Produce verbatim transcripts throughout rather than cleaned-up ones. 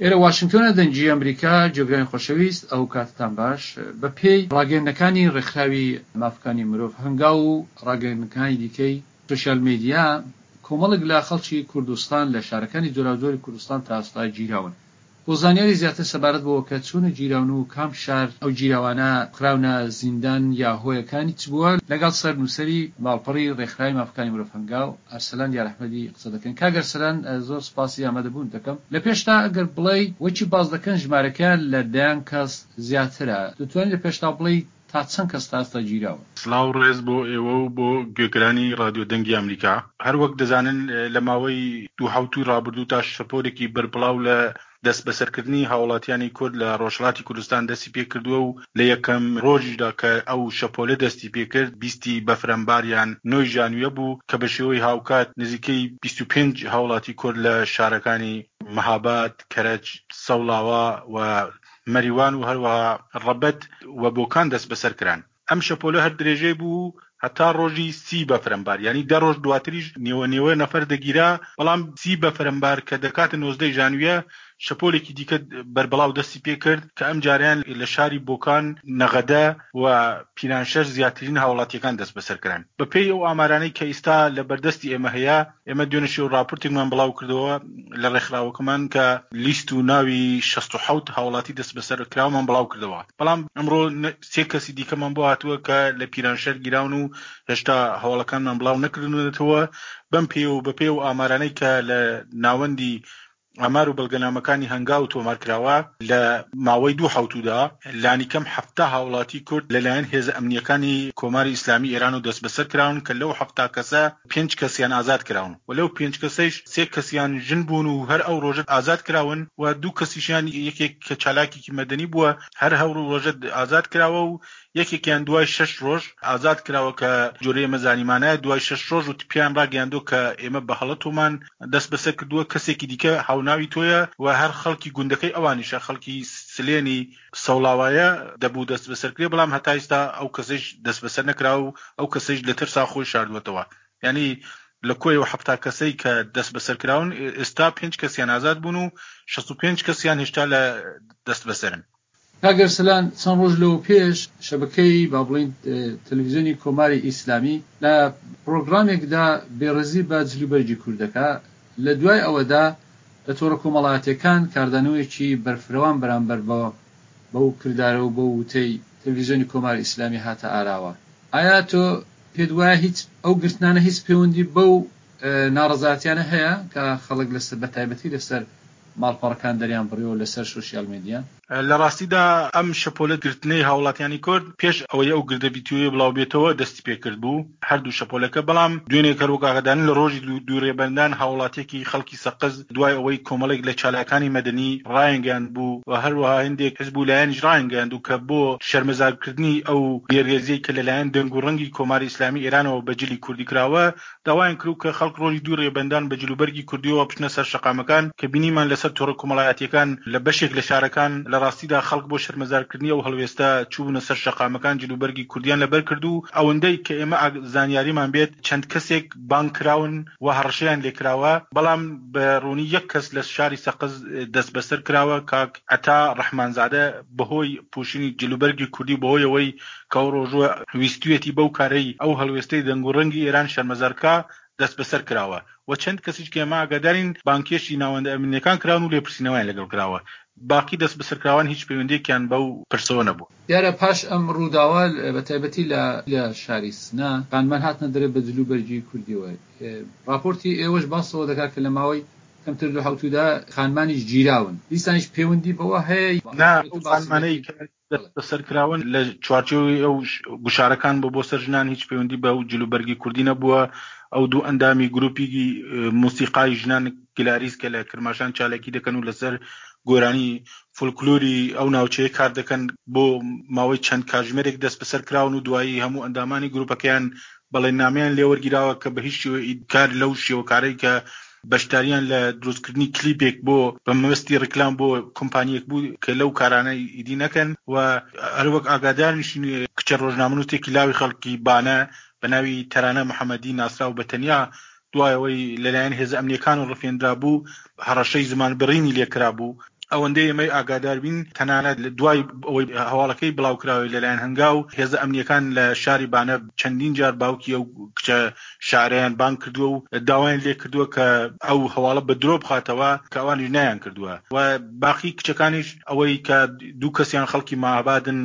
ئێرە واشنگتۆنە، دەنگی ئەمریکا. گوێگرانی خۆشەویست، ئەو کاتتان باش. بە پێی ڕاگەیەندنەکانی ڕێکخراوی مافەکانی مرۆڤ هەنگاو و ڕاگەیەندنەکانی دیکەی سۆشیال میدیا، کۆمەڵێک لە خەڵکی کوردستان لە شارەکانی جۆراوجۆری کوردستان تا ئێستا گیراون. بۆ زانیاری زیاتر سەبارەت بەوە کە چۆن گیراون و کام شار ئەو گیراوانە خراونە زیندان یا هۆیەکانی چ بووە، لەگەڵ سەر نووسەری ماڵپەڕی ڕێکخراوی مافەکانی مرۆڤ هەنگاو، ئەرسەلان یارئەحمەدی قسە دەکەن. کاک ئەرسەلان، زۆر سپاسی ئامادەبوون دەکەم. لە پێشتا ئەگەر بڵێی وەکی باس دەکەن ژمارەکەیان لە دەیان کەس زیاترە، دەتوانین لە پێشتا بڵێی تا چەند کەس تا ئێستا گیراون؟ سڵاو ڕێز بۆ ئێوە و بۆ گوێگرانی ڕادیۆ دەنگی ئەمریکا. هەر وەک دەزانن لە ماوەی دوو حەوتووی ڕابردوو تا شەپۆلێکی بەربڵاو لە دەستبەسەرکردنی هاوڵاتیانی کورد لە ڕۆژهەڵاتی کوردستان دەستی پێکردووە و لە یەکەم ڕۆژیشدا کە ئەو شەپۆلە دەستی پێکرد بیستی بەفرانبار یان نۆی ژانویە بوو کە بە شێوەی هاوکات نزیکەی بیست و پێنج هاوڵاتی کورد لە شارەکانی مەهاباد، کەرەج، سەوڵاوا و مەریوان و هەروەها ڕەبەت و بۆکان دەستبەسەر کران. ئەم شەپۆلە هەر درێژەی بوو هەتا ڕۆژی سی بەفرانبار، یانی دە ڕۆژ دواتریش نێوە نێوە نەفەر دەگیرا، بەڵام سی بەفرانبار کە دەکاتە نۆزدەی ژانویە شەپۆلێکی دیکە بەربڵاو دەستی پێکرد کە ئەم جاریان لە شاری بۆکان، نەغەدە و پیرانشەر زیاترین هاوڵاتیەکان دەست بەسەر کران. بە پێی ئەو ئامارانەی کە ئیستا لە بەردەستی ئێمە هەیە، ئێمە دوێنێ شەو ڕاپۆرتێکمان بڵاو کردەوە لە ڕێکخراوەکەمان کە لیست و ناوی شەست و حەوت هاوڵاتی دەست بەسەر کراومان بڵاو کردەوە، بەڵام ئەمڕۆ سێ کەسی دیکەمان بۆ هاتووە کە لە پیرانشەر گیراون و هێشتا هەواڵەکانمان بڵاو نەکردونەتەوە. بەم پێ و بە پێ و ئامارانەی کە لە ناوەندی ئامار و بەڵگەنامەکانی هەنگاو تۆمار کراوە، لە ماوەی دوو حەوتوودا لانیکەم حەفتا هاوڵاتی کورد لەلایەن هێزە ئەمنییەکانی کۆماری ئیسلامی ئێران و دەستبەسەر کراون کە لەو حەفتا کەسە پێنج کەسیان ئازاد کراون و لەو پێنج کەسەیش سێ کەسیان ژن بوون و هەر ئەو ڕۆژە ئازاد کراون و دوو کەسیشیان یەکێک کە چالاکێکی مەدەنی بووە هەر ئەو ڕۆژە ئازاد کراوە و یەکێکیان دوای شەش ڕۆژ ئازاد کراوە کە جۆرە ئێمە زانیمانە دوای شەش ڕۆژ و پێیان ڕاگەیاندووە کە ئێمە بە هەڵە تۆمان دەست بەسەر کردووە، کەسێکی دیکە هاوناوی تۆیە و هەر خەڵکی گوندەکەی ئەوانیشە، خەڵکی سلێنی سەوڵاوایە، دەبوو دەست بەسەر کرێ، بەڵام هەتا ئێستا ئەو کەسەیش دەست بەسەر نەکراوە و ئەو کەسەیش لە ترسا خۆی شاردووەتەوە. یعنی لە کۆی ئەو حەفتا کەسەی کە دەست بەسەر کراون ئێستا پێنج کەسیان ئازاد بوون و شەست و پێنج کەسیان هێشتا لە دەست بەسەرن. کاک ئەرسەلان، چەند ڕۆژ لەوە پێش شەبەکەی با بڵێین تەلەڤیزیۆنی کۆماری ئیسلامی لە پرۆگرامێکدا بێڕێزی بە جلوبەرگی کورد دەکا، لە دوای ئەوەدا لە تۆڕە کۆمەڵایەتیەکان کاردانەوەیەکی بەرفرەوان بەرامبەر بە بەو کردارە و بەو وتەی تەلەڤیزیۆنی کۆماری ئیسلامی هاتە ئاراوە. ئایا تۆ پێت وایە هیچ ئەو گرتنانە هیچ پەیوەندی بەو ناڕەزایەتیانە هەیە کە خەڵک لەسەر بە تایبەتی لەسەر ماڵپەڕەکان دەریان بڕیەوە لەسەر سۆشیال میدیا؟ لە ڕاستیدا ئەم شەپۆلە گرتنەی هاوڵاتیانی کورد پێش ئەوەی ئەو گردە ڤیدیۆیە بڵاو بێتەوە دەستی پێکرد بوو، هەردوو شەپۆلەکە. بەڵام دوێنێ کە وەک ئاگادارن لە ڕۆژی دوو ڕێبەندان هاوڵاتیەکی خەڵکی سەقز دوای ئەوەی کۆمەڵێک لە چالاکانی مەدەنی ڕایانگەیاند بوو و هەروەها هەندێک حزب و لایەنیش ڕایانگەیاند کە بۆ شەرمەزارکردنی ئەو بێڕێزیەی کە لەلایەن دەنگ و ڕەنگی کۆماری ئیسلامی ئێرانەوە بە جلی کوردی کراوە، داوایان کرد کە خەڵک ڕۆژی دوو ڕێبەندان بە جلوبەرگی کوردیەوە بچنە سەر شەقامەکان کە بینیمان لەسەر تۆڕە کۆمەڵایەتیەکان لە بەشێک لە شارەکان لە ڕاستیدا خەڵک بۆ شەرمەزارکردنی ئەو هەڵوێستە چوونە سەر شەقامەکان، جلوبەرگی کوردیان لەبەر کرد و ئەوەندەی کە ئێمە زانیاریمان بێت چەند کەسێک بانگ کراون و هەڕەشەیان لێکراوە، بەڵام بە ڕوونی یەک کەس لە شاری سەقز دەست بەسەر کراوە، کاک عەتا ڕەحمانزادە، بەهۆی پوشینی جلوبەرگی کوردی، بەهۆی ئەوەی کە ئەو ڕۆژوە ویستویەتی بەو کارەی ئەو هەڵوێستەی دەنگ و ڕەنگی ئێران شەرمەزارکا دەست بەسەر کراوە و چەند کەسیش کە ئێمە ئاگادارین بانکێشی ناوەندە ئەمنیەکان کراون و لێپرسینەوەیان لەگەڵ کراوە. باقی دەست بەسەرکراوان هیچ پەیوەندیەکیان بەو پرسەوە نەبوو. دیارە پاش ئەم ڕووداوە بە تایبەتی لە لە شاری سنە خانمان هاتنە دەرێ بە جلوبەرگی کوردیەوە. ڕاپۆرتی ئێوەش باسەوە دەکات کە لە ماوەی کەمتر دوو حەوتوودا خانمانیش گیراون، دیسانیش پەیوەندی بەوە هەیە؟ نا، ئەو خانمانەی کە دەست بەسەر کراون لە چوارچێوەی ئەو گوشارەکان بۆ بۆ سەر ژنان هیچ پەیوەندی بە جلوبەرگی کوردی نەبووە. ئەو دوو ئەندامی گروپی موسیقای ژنان گلاریس کە لە کرماشان چالاکی دەکەن و لەسەر گۆرانی فولکلۆری ئەو ناوچەیە کار دەکەن، بۆ ماوەی چەند کاتژمێرێک دەست بەسەر کراون و دوایی هەموو ئەندامانی گروپەکەیان بەڵێننامەیان لێوەرگیراوە کە بە هیچ کار لەو شێوەکارەی کە بەشداریان لە دروستکردنی کلیپێک بۆ بە مەبەستی ڕیکلام بۆ کۆمپانیەک بوو کە لەو کارانە ئیدی نەکەن. و هەروەک ئاگادارنیشین کچە ڕۆژنامەنووسێکی لاوی خەڵکی بانە بە ناوی تەرانە محەممەدی ناسراو بە تەنیا، دوای ئەوەی لەلایەن هێزە ئەمنیەکان و ڕفێنرا بوو، هەڕەشەی زمان بڕینی لێکرا بوو. ئەوەندەی ئێمەی ئاگادار بین تەنانەت دوای ئەوەی هەواڵەکەی بڵاوکراوەی لەلایەن هەنگاو، هێزە ئەمنییەکان لە شاری بانە چەندین جار باوکی ئەو کچە شاعرەیان بانگ کردووە و داوایان لێ کردووە کە ئەو هەواڵە بە درۆ بخاتەوە کە ئەوانیش نەیان کردووە و باقی کچەکانیش ئەوەی کە دوو کەسیان خەڵکی ماهابادن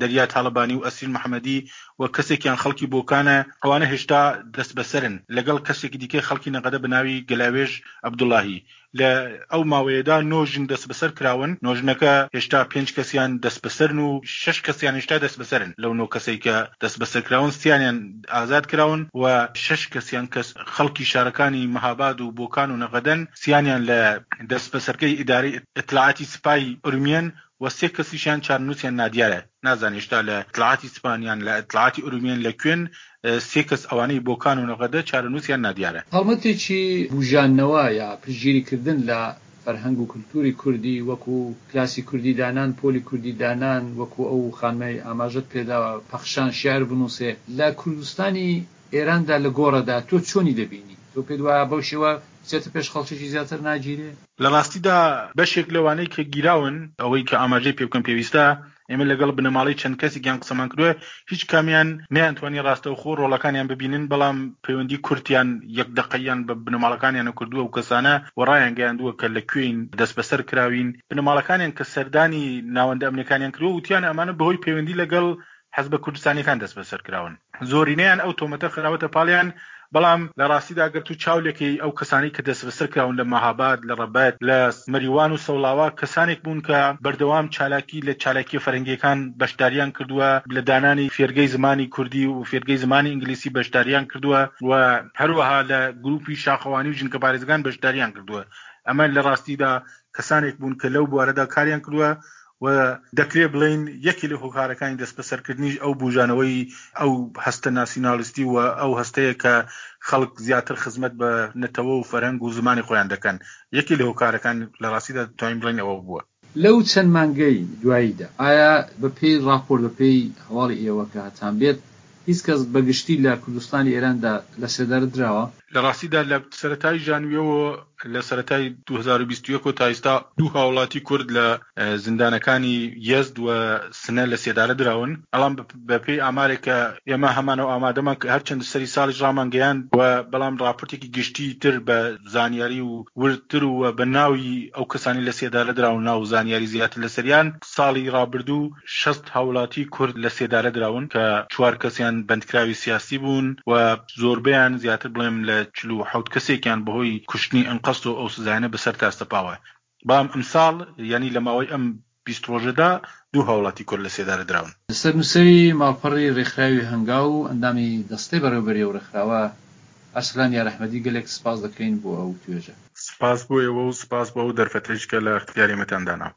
دەریا تاڵەبانی و ئەسرین محەمەدی و کەسێکیان خەڵکی بۆکانە ئەوانە هێشتا دەستبەسەرن لەگەڵ کەسێکی دیکەی خەڵکی نەغەدە بە ناوی گەلاوێژ عەبدوڵاهی. لە ئەو ماوەیەدا نۆ ژن دەستبەسەر کراون، نۆ ژنەکە هێشتا پێنج کەسیان دەستبەسەرن و شەش کەسیان هێشتا دەستبەسەرن، لەو نۆ کەسەی کە دەستبەسەر کراون سیانیان ئازاد کراون و شەش کەسیان کە خەڵکی شارەکانی مهاباد و بۆکان و نەغەدەن، سیانیان لە دەستبەسەرگەی ئیدارەی ئیتلاعاتی سپای ئورمیەن و سێ کەسیشیان چارەنووسیان نادیارە، نازانین هێشتا لە ئیتلاعاتی سپان یان لە ئیتلاعاتی ئورومیەن لە کوێن، سێ کەس ئەوانەی بۆکان و نەغەدە چارەنووسیان نادیارە. هەڵمەتێکی بووژاندنەوە یا پشتگیری کردن لە فەرهەنگ و کولتووری کوردی وەکوو کلاسی کوردی دانان، پۆلی کوردی دانان، وەکوو ئەو خانمەی ئاماژەت پێدا پەخشان شێعر بنووسێ لە کوردستانی ئێراندا لە گۆڕەدا تۆ چۆنی دەبینی؟ تۆ پێت وایە بەو شێوە بچێتە پێش خەڵکێکی زیاتر ناگیرێ؟ لە ڕاستیدا بەشێک لەوانەی کە گیراون، ئەوەی کە ئاماژەی پێ بکەم پێویستە، ئێمە لەگەڵ بنەماڵەی چەند کەسێکیان قسەمان کردووە، هیچ کامیان نەیانتوانی ڕاستەوخۆ ڕۆڵەکانیان ببینن، بەڵام پەیوەندی کورتیان یەک دەقەییان بە بنەماڵەکانیانەوە کردووە و کەسانە و ڕایانگەیاندووە کە لە کوێین، دەستبەسەر کراوین. بنەماڵەکانیان کە سەردانی ناوەندە ئەمنییەکانیان کردووە، وتیانە ئەمانە بەهۆی پەیوەندی لەگەڵ حزبە کوردستانیەکان دەستبەسەر کراون. زۆرینەیان ئەو تۆمەتە خراوەتە پاڵیان، بەڵام لە ڕاستیدا گەر تۆ چاو لێکەی ئەو کەسانەی کە دەستبەسەر کراون لە مەهاباد، لە ڕەبەت، لە مەریوان و سەوڵاوا کەسانێک بوون کە بەردەوام چالاکی لە چالاکیە فەرهەنگیەکان بەشداریان کردووە، لە دانانی فێرگەی زمانی کوردی و فێرگەی زمانی ئینگلیسی بەشداریان کردووە و هەروەها لە گروپی شاخەوانی و ژینگەپارێزەکان بەشداریان کردووە. ئەمە لە ڕاستیدا کەسانێک بوون کە لەو بوارەدا کاریان کردووە و دەکرێ بڵێین یەکێ لە هۆکارەکانی دەستبەسەرکردنیش ئەو بوژانەوەی ئەو هەستە ناسیونالیستی و ئەو هەستەیە کە خەڵک زیاتر خزمەت بە نەتەوە و فەرهەنگ و زمانی خۆیان دەکەن. یەکێ لە هۆکارەکان لە ڕاستیدا دەتوانین بڵێین ئەوە بووە. لەو چەند مانگەی دواییدا ئایا بە پێی ڕاپۆرت، بە پێی هەواڵی ئێوە کە هەتان بێت هیچ کەس بە گشتی لە کوردستانی ئێراندا لە سێدارە دراوە؟ لە ڕاستیدا لە سەرەتای ژانویەوە لە سەرەتای دوو هەزار و بیست و یەک وە تا ئیستا دوو هاوڵاتی کورد لە زیندانەکانی یەزد و سنە لە سێدارە دراون. بەڵام بە پێی ئامارێک کە ئێمە هەمانە و ئامادەمان کە هەرچەند سەری ساڵیش ڕامانگەیاند و بەڵام ڕاپۆرتێکی گشتی تر بە زانیاری و وردتر و بە ناوی ئەو کەسانەی لە سێدارە دراون ناو و زانیاری زیاتر لەسەریان ساڵی ڕابردوو شەست هاوڵاتی کورد لە سێدارە دراون کە چوار کەسیان بەندکراوی سیاسی بوون و زۆربەیان زیاتر بڵێم لە چل و حەوت کەسێکیان بەهۆی کوشتنی ئەنقەست و ئەو سزایانە بەسەردا سەپاوە. بەڵام ئەمساڵ یانی لە ماوەی ئەم بیست ڕۆژەدا دوو هاوڵاتی کورد لە سێدارە دراون. سەرنووسەری ماڵپەڕی ڕێکخراوی هەنگاو و ئەندامی دەستەی بەڕێوەبەری ئەو ڕێکخراوە ئەرسەلان یارئەحمەدی گەلێک سپاس دەکەین بۆ ئەو توێژە. سپاس بۆ ئێوە و سپاس بۆ ئەو دەرفەتەیش کە لە ئیختیاری ئێمەتان دانا.